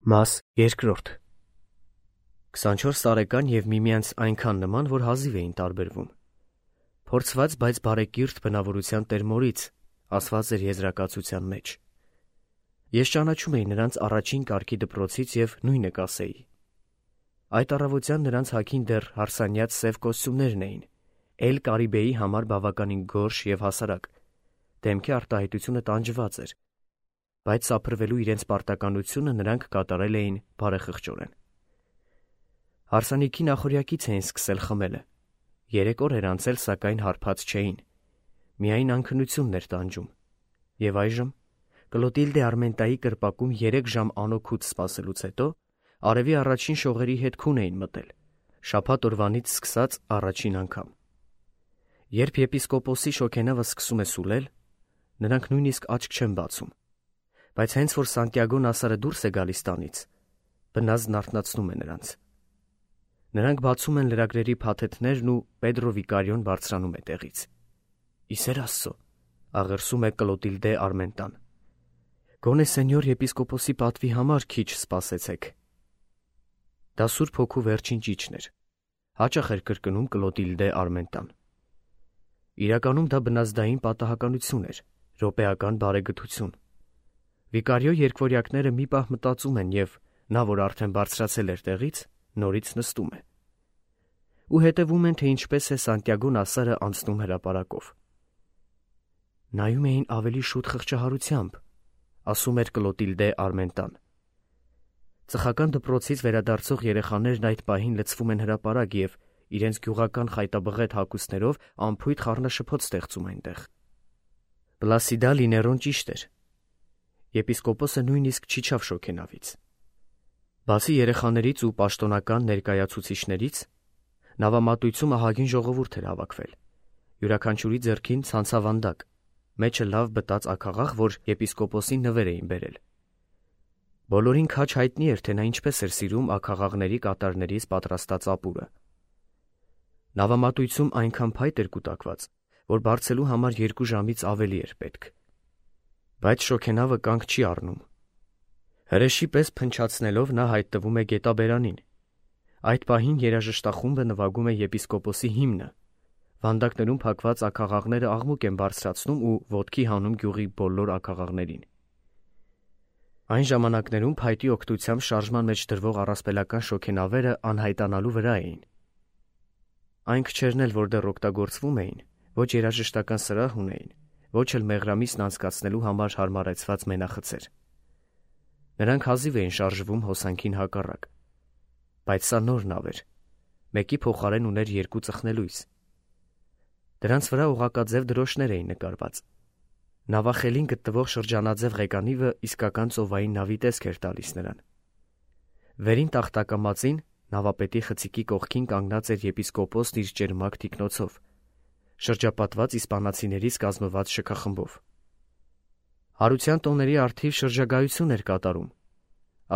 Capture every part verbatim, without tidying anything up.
Մաս երկրորդ քսանչորս տարեկան և միմյանց այնքան նման, որ հազիվ էին տարբերվում։ Փորձված, բայց բարեկիրթ բնավորության տերմորից, ասված էր եզրակացության մեջ։ Ես ճանաչում էի նրանց առաջին կարգի դպրոցից և նույնը կասեի։ Այդ առավոտյան նրանց հագին դեռ հարսանյաց սև կոստյումներն էին, Էլ Կարիբեի համար բավականին գորշ և հասարակ, դեմքի արտահայտությունը տանջված էր, բայց սափրվելու իրենց պարտականությունը նրանք կատարել էին բարեխղճորեն։ Հարսանիքի նախօրյակից էին սկսել խմելը, երեք օր էր անցել, սակայն հարբած չէին, միայն անքնությունն էր տանջում, և այժմ Կլոտիլդե Արմենտայի կրպակում երեք ժամ անօգուտ սպասելուց հետո արևի առաջին շողերի հետ քուն էին մտել, շաբաթ օրվանից սկսած առաջին անգամ։ Երբ եպիսկոպոսի շոգենավը սկսում է սուլել, նրանք նույնիսկ աչք չեն բացում, բայց հենց որ Սանտիագո Նասարը դուրս է գալիս տանից, բնազդն արթնացնում է նրանց։ Նրանք բացում են լրագրերի փաթեթներն ու Պեդրո Վիկարիոն բարձրանում է տեղից։ Իսեր Աստծո, աղերսում է Կլոտիլդե Արմենտան։ Գոնե սենյոր եպիսկոպոսի պատվի համար քիչ սպասեցեք։ Դա Սուրբ Հոգու վերջին ճիչն էր, հաճախ էր կրկնում Կլոտիլդե Արմենտան։ Իրականում դա բնազդային պատահականություն էր, րոպեական բարեգթություն։ Վիկարիո երկվորյակները մի պահ մտածում են և նա, որ արդեն բարձրացել էր տեղից, նորից նստում է։ Ու հետևում են, թե ինչպես է Սանտիագո Նասարը անցնում հրապարակով։ Նայում էին ավելի շուտ խղճահարությամբ, ասում էր Կլոտիլդե Արմենտան։ Ծխական դպրոցից վերադարձող երեխաներն այդ պահին լցվում են հրապարակ և իրենց գյուղական խայտաբղետ հագուստներով անփույթ խառնաշփոթ ստեղծում այնտեղ։ Պլասիդա Լիներոն ճիշտ էր։ Եպիսկոպոսը նույնիսկ չիջավ շոգենավից։ Բացի երեխաներից ու պաշտոնական ներկայացուցիչներից, նավամատույցում ահագին ժողովուրդ էր հավաքվել։ Յուրաքանչյուրի ձեռքին ցանցավանդակ, մեջը լավ բտած աքաղաղ, որ եպիսկոպոսին նվեր էին բերել։ Բոլորին քաջ հայտնի էր, թե նա ինչպես էր սիրում աքաղաղների կատարներից պատրաստած ապուրը։ Նավամատույցում այնքան փայտ էր կուտակված, որ բարձելու համար երկու ժամից ավելի էր պետք։ Բայց շոգենավը կանգ չի առնում։ Հրեշի պես փնչացնելով նա հայտնվում է գետաբերանին։ Այդ պահին երաժշտախումբը նվագում է եպիսկոպոսի հիմնը։ Վանդակներում փակված աքաղաղները աղմուկ են բարձրացնում ու ոտքի հանում գյուղի բոլոր աքաղաղներին։ Այն ժամանակներում փայտի օգնությամբ շարժման մեջ դրվող առասպելական շոգենավերը անհայտանալու վրա էին։ Այն քչերն էլ, որ դեռ օգտագործվում էին, ոչ երաժշտական սրահ ունեին, ոչ էլ մեղրամիսն անցկացնելու համար հարմարեցված մենախցեր։ Նրանք հազիվ էին շարժվում հոսանքին հակառակ։ Բայց սա նոր նավ էր, մեկի փոխարեն ուներ երկու ծխնելույս։ Դրանց վրա օղակաձև դրոշներ էին նկարված։ Նավախելին գտնվող շրջանաձև ղեկանիվը իսկական ծովային նավի տեսք էր տալիս նրան։ Վերին տախտակամածին նավապետի խցիկի կողքին կանգնած էր եպիսկոպոսն իր ճերմակ թիկնոցով, շրջապատված իսպանացիներից կազմված շքախմբով։ Հարության տոների առթիվ շրջագայություն էր կատարում,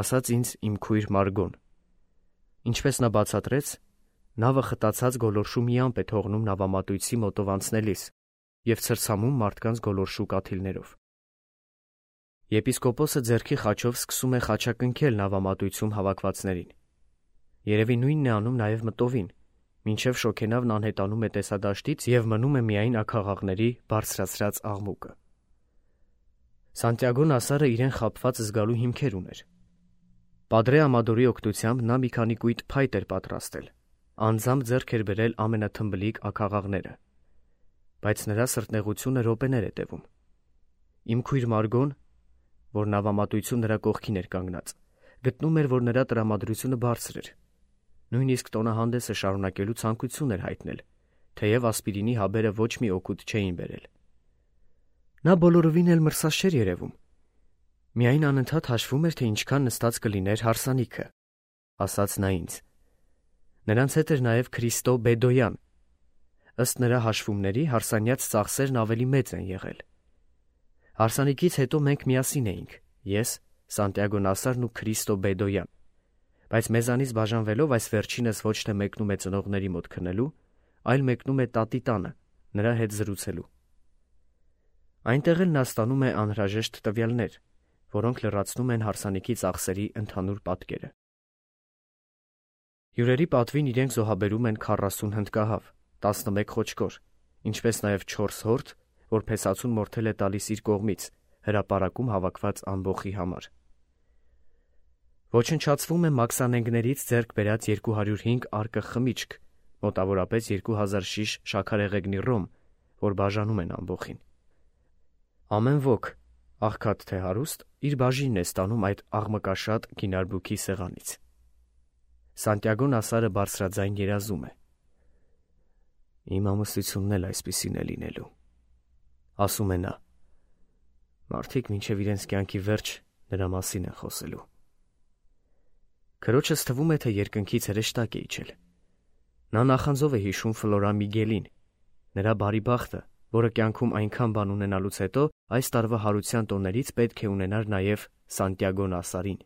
ասաց ինձ իմ քույր Մարգոն։ Ինչպես նա բացատրեց, նավը խտացած գոլորշու մի ամպ է թողնում նավամատույցի մոտով անցնելիս և ցրցամում մարդկանց գոլորշու կաթիլներով։ Եպիսկոպոսը ձեռքի խաչով սկսում է խաչակնքել նավամատույցում հավաքվածներին։ Երևի նույնն է անում նաև մտովին, մինչև շոգենավն անհետանում է տեսադաշտից և մնում է միայն աքաղաղների բարձրացրած աղմուկը։ Սանտիագո Նասարը իրեն խաբված զգալու հիմքեր ուներ։ Պատրե Ամադորի օգնությամբ նա մի քանի կույտ փայտ էր պատրաստել, անձամբ ձեռք էր բերել ամենաթմբլիկ աքաղաղները, բայց նրա սրտնեղությունը րոպեներ է տևում։ Իմ քույր Մարգոն, որ նավամատույցում նրա կողքին էր կանգնած, գտնում էր, որ նրա տրամադրությունը բարձր էր։ Նույնիսկ տոնահանդեսը շարունակելու ցանկություն էր հայտնել, թեև ասպիրինի հաբերը ոչ մի օգուտ չէին բերել։ Նա բոլորովին էլ մրսած չէր երևում։ Միայն անընդհատ հաշվում էր, թե ինչքան նստած կլիներ հարսանիքը, ասաց նա ինձ։ Նրանց հետ էր նաև Քրիստո Բեդոյան։ Ըստ նրա հաշվումների հարսանյաց ծախսերն ավելի մեծ են եղել։ Հարսանիքից հետո մենք միասին էինք, ես, Սանտիագո Նասարն ու Քրիստո Բեդոյան, բայց մեզանից բաժանվելով այս վերջինս ոչ թե մեկնում է ծնողների մոտ քնելու, այլ մեկնում է տատի տանը, նրա հետ զրուցելու։ Այնտեղ էլ նա ստանում է անհրաժեշտ տվյալներ, որոնք լրացնում են հարսանիքի ծախսերի ընդհանուր պատկերը։ Հյուրերի պատվին իրենք զոհաբերում են քառասուն հնդկահավ, տասնմեկ խոչկոր, ինչպես նաև չորս հորթ, որ փեսացուն մորթել է տալիս իր կողմից հրապարակում հավաքված ամբոխի համար։ Ոչնչացվում է մաքսանենգներից ձեռք բերած երկու հարյուր հինգ արկղ խմիչք, մոտավորապես երկու հազար շիշ շաքարեղեգնի ռոմ, որ բաժանում են ամբոխին։ Ամեն ոք, աղքատ թե հարուստ, իր բաժինն է ստանում այդ աղմկաշատ գինարբուքի սեղանից։ Սանտիագո Նասարը բարձրաձայն երազում է. «Իմ ամուսնությունն էլ այսպիսին է լինելու», ասում է նա։ Մարդիկ մինչև իրենց կյանքի վերջ նրա մասին են խոսելու։ Քրոջս թվում է, թե երկնքից հրեշտակ է իջել։ Նա նախանձով է հիշում Ֆլորա Միգելին, նրա բարի բախտը, որը կյանքում այնքան բան ունենալուց հետո այս տարվա հարության տոներից պետք է ունենար նաև Սանտիագո Նասարին։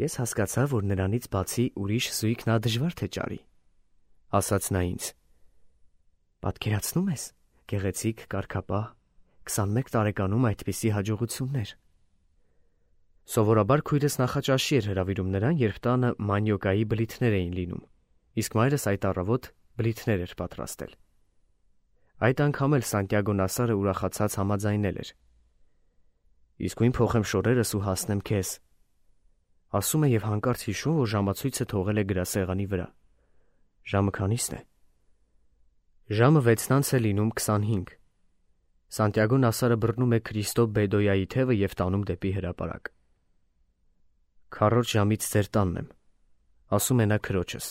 Ես հասկացա, որ նրանից բացի ուրիշ զույգ նա դժվար թե ճարի, ասաց նա ինձ։ Պատկերացնում ես, գեղեցիկ, կարգապահ, քսանմեկ տարեկանում այդպիսի հաջողություններ։ Սովորաբար քույրս նախաճաշի էր հրավիրում նրան, երբ տանը մանյոկայի բլիթներ էին լինում, իսկ մայրս այդ առավոտ բլիթներ էր պատրաստել։ Այդ անգամ էլ Սանտիագո Նասարը ուրախացած համաձայնել էր։ Իսկույն փոխեմ շորերս ու հասնեմ քեզ, ասում է եւ հանկարծ հիշում, որ ժամացույցը թողել է գրասեղանի վրա։ Ժամը քանիսն է։ Ժամը վեցն անց է լինում քսանհինգ։ Սանտիագո Նասարը բռնում է Քրիստո Բեդոյայի թևը եւ տանում դեպի հրապարակ։ Քառորդ ժամից ձեր տանն եմ, ասում է նա քրոջս։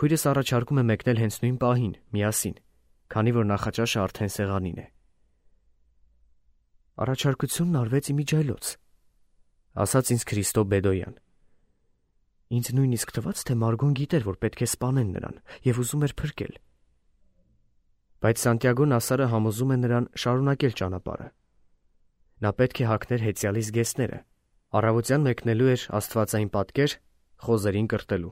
Քույրս առաջարկում է մեկնել հենց նույն պահին, միասին, քանի որ նախաճաշը արդեն սեղանին է։ Առաջարկությունն արվեց իմիջայլոց, ասաց ինձ Քրիստո Բեդոյան։ Ինձ նույնիսկ թվաց, թե Մարգոն գիտեր, որ պետք է սպանեն նրան եւ ուզում էր փրկել։ Բայց Սանտիագո Նասարը համոզում է նրան շարունակել ճանապարհը։ Նա պետք է հագներ հեծյալի զգեստները, առավոտյան մեկնելու էր աստվածային պատկեր խոզերին կրտելու։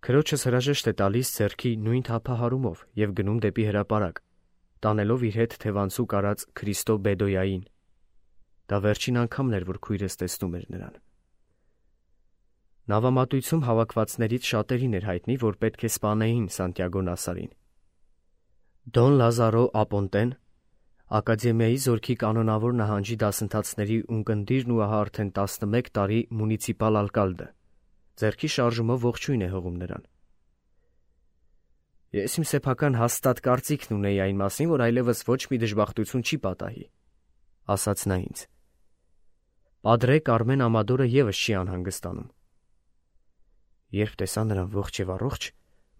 Քրոջս հրաժեշտ է տալիս ձեռքի նույն թափահարումով եւ գնում դեպի հրապարակ, տանելով իր հետ թևանցու կարած Քրիստո Բեդոյային։ Դա վերջին անգամն էր, որ քույրս տեսնում էր նրան։ Նավամատույցում հավաքվածներից շատերին էր հայտնի, որ պետք է սպանեին Սանտիագո Նասարին։ Դոն Լազարո Ապոնտեն, Ակադեմիայի զորքի կանոնավոր նահանջի դասընթացների ունկնդիրն ու ահա արդեն տասնմեկ տարի մունիցիպալ ալկալդը, ձեռքի շարժումով ողջույն է հողում նրան։ Ես իմ սեփական հաստատ կարծիքն ունեի այն մասին, որ այլևս ոչ մի դժբախտություն չի պատահի, ասաց նա ինձ։ Պատրե Կարմեն Ամադորը եւս չի անհանգստանում։ Երբ տեսա նրան ողջ եւ առողջ,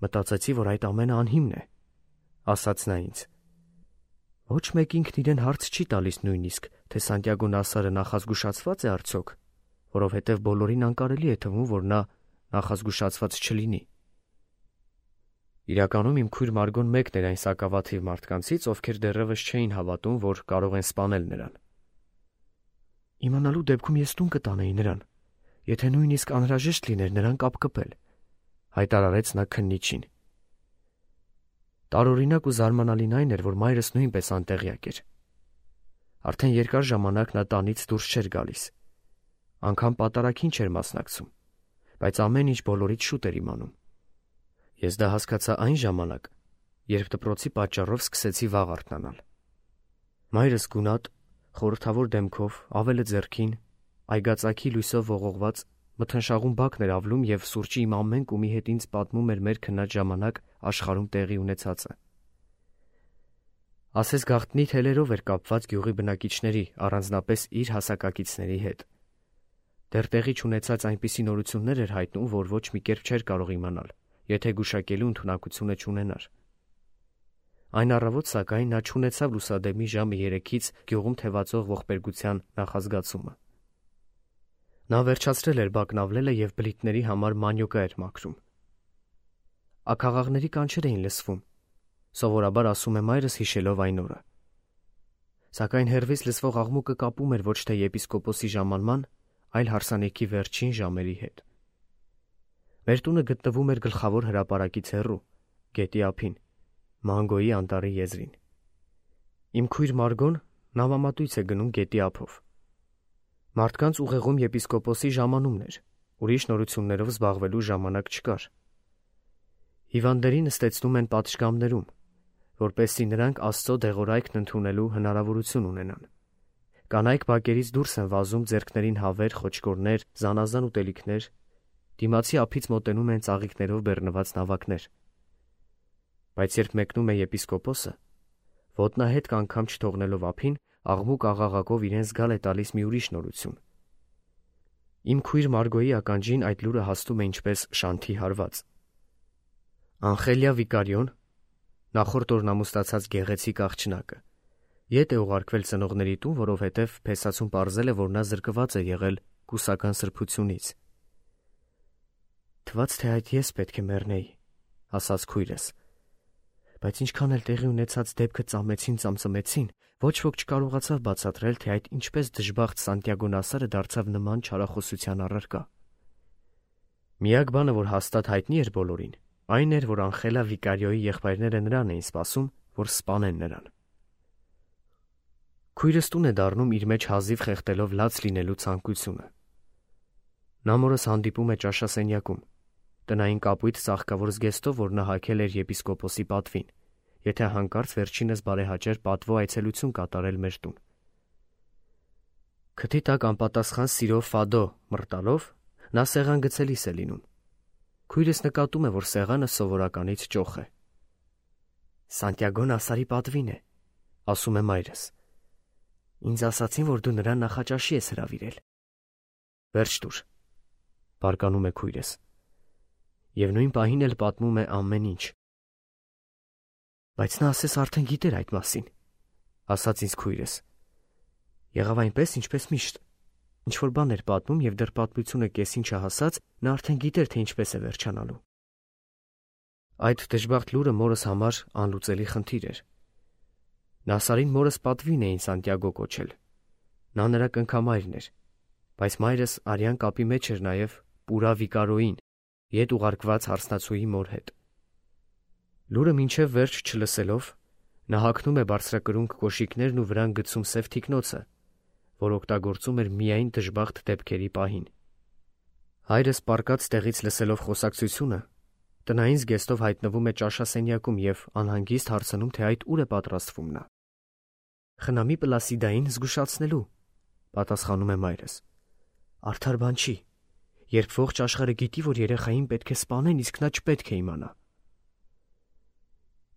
մտածեցի, որ այդ ամենը անհիմն է, ասաց նա ինձ։ Ոչ մեկ ինքն իրեն հարց չի տալիս նույնիսկ, թե Սանտիագո Նասարը նախազգուշացված է արդյոք, որովհետև բոլորին անկարելի է թվում, որ նա նախազգուշացված չլինի։ Իրականում իմ քույր Մարգոն մեկն էր այն սակավաթիվ մարդկանցից, ովքեր դեռևս չէին հավատում, որ կարող են սպանել նրան։ Իմանալու դեպքում ես տուն կտանեի նրան, եթե նույնիսկ անհրաժեշտ լիներ նրան կապկպել, հայտարարեց նա քննիչին։ Տարօրինակ ու զարմանալին այն էր, որ մայրս նույնպես անտեղյակ էր։ Արդեն երկար ժամանակ նա տանից դուրս չէր գալիս։ Անգամ պատարագին չէր մասնակցում, բայց ամեն ինչ բոլորից շուտ էր իմանում։ Ես դա հասկացա այն ժամանակ, երբ դպրոցի պատճառով սկսեցի վաղ արթնանալ։ Մայրս գունատ, խորհրդավոր դեմքով, ավելը ձեռքին, այգածակի լույսով ողողված, մթնշաղուն բակն էր ավլում եւ սուրճի իմ ամեն կումի հետ ինձ պատմում էր մեր քնած ժամանակ աշխարհում տեղի ունեցածը։ Ասես գաղտնի թելերով էր կապված գյուղի բնակիչների, առանձնապես իր հասակակիցների հետ։ Դեռ տեղի չունեցած այնպիսի նորություններ էր հայտնում, որ ոչ մի կերպ չէր կարող իմանալ, եթե գուշակելու ընդունակությունը չունենար։ Այն առավոտ, սակայն, նա չունեցավ լուսադեմի ժամը երեքից գյուղում թևածող ողբերգության նախազգացումը։ Նա վերջացրել էր բակն ավլելը եւ բլիթների համար մանյոկա էր մաքրում։ Աքաղաղների կանչեր էին լսվում, սովորաբար ասում է մայրս հիշելով այն օրը։ Սակայն հեռվից լսվող աղմուկը կապում էր ոչ թե եպիսկոպոսի ժամանման, այլ հարսանիքի վերջին ժամերի հետ։ Մեր տունը գտնվում էր գլխավոր հրապարակից հեռու, գետի ափին, Մանգոյի անտառի եզրին։ Իմ քույր Մարգոն, նավամատույց է գնում գետի ափով։ Մարդկանց ուղեղում եպիսկոպոսի ժամանումն էր, ուրիշ նորություններով զբաղվելու ժամանակ չկար։ Հիվանդներին նստեցնում են պատշգամբներում, որպեսզի նրանք Աստծո դեղորայքն ընդունելու հնարավորություն ունենան։ Կանայք բակերից դուրս են վազում ձեռքներին հավեր, խոչկորներ, զանազան ուտելիքներ, դիմացի ափից մոտենում են ծաղիկներով բեռնված նավակներ։ Բայց երբ մեկնում է եպիսկոպոսը, ոտնահետք անգամ չթողնելով ափին, աղմուկ աղաղակով իրեն զգալ է տալիս մի ուրիշ նորություն։ Իմ քույր Մարգոյի ականջին այդ լուրը հասնում է ինչպես շանթի հարված։ Անխելիա Վիկարիոն, նախորդ օրն ամուսնացած գեղեցիկ աղջնակը, ետ է ուղարկվել ծնողների տուն, որովհետև փեսացուն պարզել է, որ նա զրկված է եղել կուսական սրբությունից։ Թվաց, թե այդ ես պետք է մեռնեի, ասաց քույրս, բայց ինչքան էլ տեղի ունեցած դեպքը ծամեցին ծամծմեցին, ոչ ոք չկարողացավ բացատրել, թե այդ ինչպես դժբախտ Սանտիագո Նասարը դարձավ նման չարախոսության առարկա։ Միակ բանը, որ հաստատ հայտնի էր բոլորին, այն էր, որ Անխելա Վիկարիոյի եղբայրները նրան էին սպասում, որ սպանեն նրան։ Քույրս տուն է դառնում իր մեջ հազիվ խեղդելով լաց լինելու ցանկությունը։ Նա մորս հանդիպում է ճաշասենյակում, տնային կապույտ ծաղկավոր զգեստով, որ նա հագել էր եպիսկոպոսի պատվին, եթե հանկարծ վերջինս բարեհաճեր պատվո այցելություն կատարել մեր տուն։ Քթի տակ անպատասխան սիրով ֆադո մռտալով նա սեղան գցելիս է լինում։ Քույրս նկատում է, որ սեղանը սովորականից ճոխ է։ Սանտիագո Նասարի պատվին է, ասում է մայրս։ Ինձ ասացին, որ դու նրան նախաճաշի ես հրավիրել։ Վերջ տուր, բարկանում է քույրս։ Եվ նույն պահին էլ պատմում է ամեն ինչ։ Բայց նա ասես արդեն գիտեր այդ մասին, ասաց ինձ քույրս։ Եղավ այնպես, ինչպես միշտ։ Ինչ-որ բան էր պատմում և դեռ պատմությունը կեսին չհասած, նա արդեն գիտեր, թե ինչպես է վերջանալու։ Այդ դժբախտ լուրը մորս համար անլուծելի խնդիր էր։ Նասարին մորս պատվին էին Սանտիագո կոչել։ Նա նրա կնքամայրն էր, բայց մայրս արյան կապի մեջ էր նաև Պուրա Վիկարոյին, ետ ուղարկված հարսնացուի մոր հետ։ Լուրը մինչև վերջ չլսելով, նա հագնում է բարձրակրունկ կոշիկներն ու վրան գցում սև թիկնոցը, որ օգտագործում էր միայն դժբախտ դեպքերի պահին։ Հայրս պառկած տեղից լսելով խոսակցությունը, տնային զգեստով հայտնվում է ճաշասենյակում և անհանգիստ հարցնում, թե այդ ուր է պատրաստվում նա։ Խնամի Պլասիդային զգուշացնելու, պատասխանում է մայրս։ Արդար բան չի, երբ ողջ աշխարհը գիտի, որ երեխային պետք է սպանեն, իսկ նա չպետք է իմանա։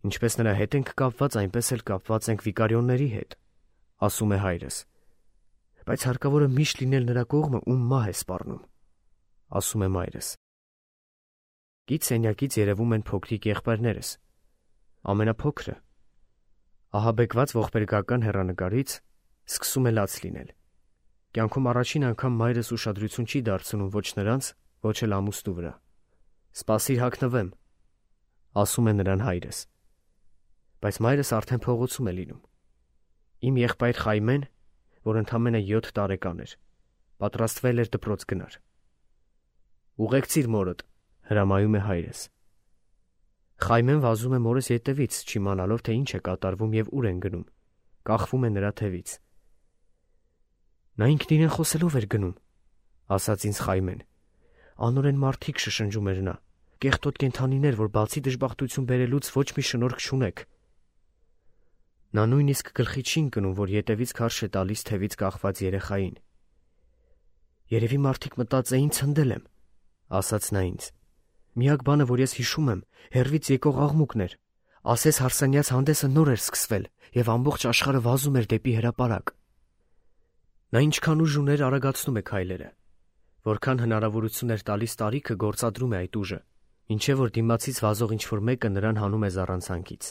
Ինչպես նրա հետ ենք կապված, այնպես էլ կապված ենք Վիկարիոնների հետ, ասում է հայրս։ Բայց հարկավոր է միշտ լինել նրա կողմը, ում մահ է սպառնում, ասում է մայրս։ Գիծ սենյակից երևում են փոքրիկ եղբայրներս։ Ամենափոքրը, ահաբեկված ողբերգական հեռանկարից, սկսում է լաց լինել։ Կյանքում առաջին անգամ մայրս ուշադրություն չի դարձնում ոչ նրանց, ոչ էլ ամուսնու վրա։ Սպասիր հագնվեմ, ասում է նրան հայրս։ Բայց մայրս արդեն փողոցում է լինում։ Իմ եղբայր Խայմեն, որ ընդամենը յոթ տարեկան էր, պատրաստվել էր դպրոց գնար։ Ուղեկցիր մորդ, հրամայում է հայրս։ Խայմեն վազում է մորս ետևից, չիմանալով, թե ինչ է կատարվում և ուր են գնում, կախվում է նրա թևից։ Նա ինքն իրեն խոսելով էր գնում, ասաց ինձ Խայմեն։ Անօրեն մարդիկ շշնջում էր նա, կեղտոտ կենդանիներ, որ բացի դժբախտություն բերելուց ոչ մի շնորհք չունեք։ Նա նույնիսկ գլխի չի ընկնում, որ ետևից քարշ է տալիս թևից կախված երեխային։ Երևի մարդիկ մտածեին ցնդել եմ, ասաց նա ինձ։ Միակ բանը, որ ես հիշում եմ, հեռվից եկող աղմուկն էր։ Ասես հարսանյաց հանդեսը նոր էր սկսվել, և ամբողջ աշխարհը վազում էր դեպի հրապարակ։ Նա ինչքան ուժ ուներ, արագացնում է քայլերը։ Որքան հնարավորություն էր տալիս տարիքը, գործադրում է այդ ուժը, ինչև որ դիմացից վազող ինչ-որ մեկը նրան հանում է զառանցանքից։